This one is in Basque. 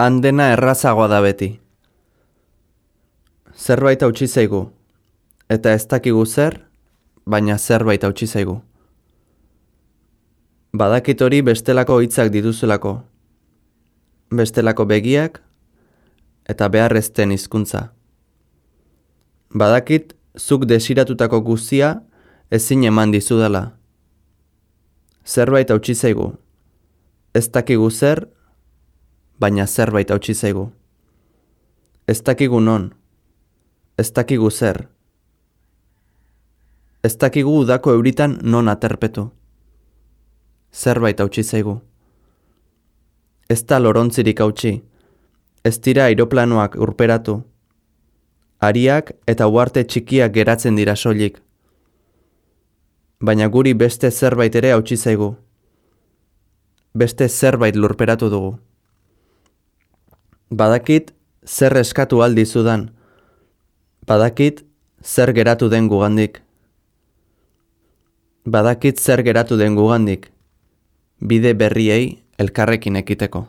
Han dena errazagoa da beti. Zerbait hautsi zaigu, eta ez dakigu zer, baina zerbait hautsi zaigu. Badakit hori bestelako hitzak dituzulako, bestelako begiak eta beharrezten hizkuntza. Badakit zuk desiratutako guztia ezin eman dizudala. Zerbait hautsi zaigu, ez dakigu zer, baina zerbait hautsi zaigu. Ez dakigu non, ez dakigu zer. Ez dakigu udako euritan non aterpetu. Zerbait hautsi zaigu. Ez da lorontzirik hautsi, ez dira airoplanoak urperatu. Hariak eta uharte txikiak geratzen dira soilik. Baina guri beste zerbait ere hautsi zaigu. Beste zerbait lurperatu dugu. Badakit zer eskatu aldizudan. Badakit zer geratu den gugandik. Badakit zer geratu den gugandik. Bide berriei elkarrekin ekiteko.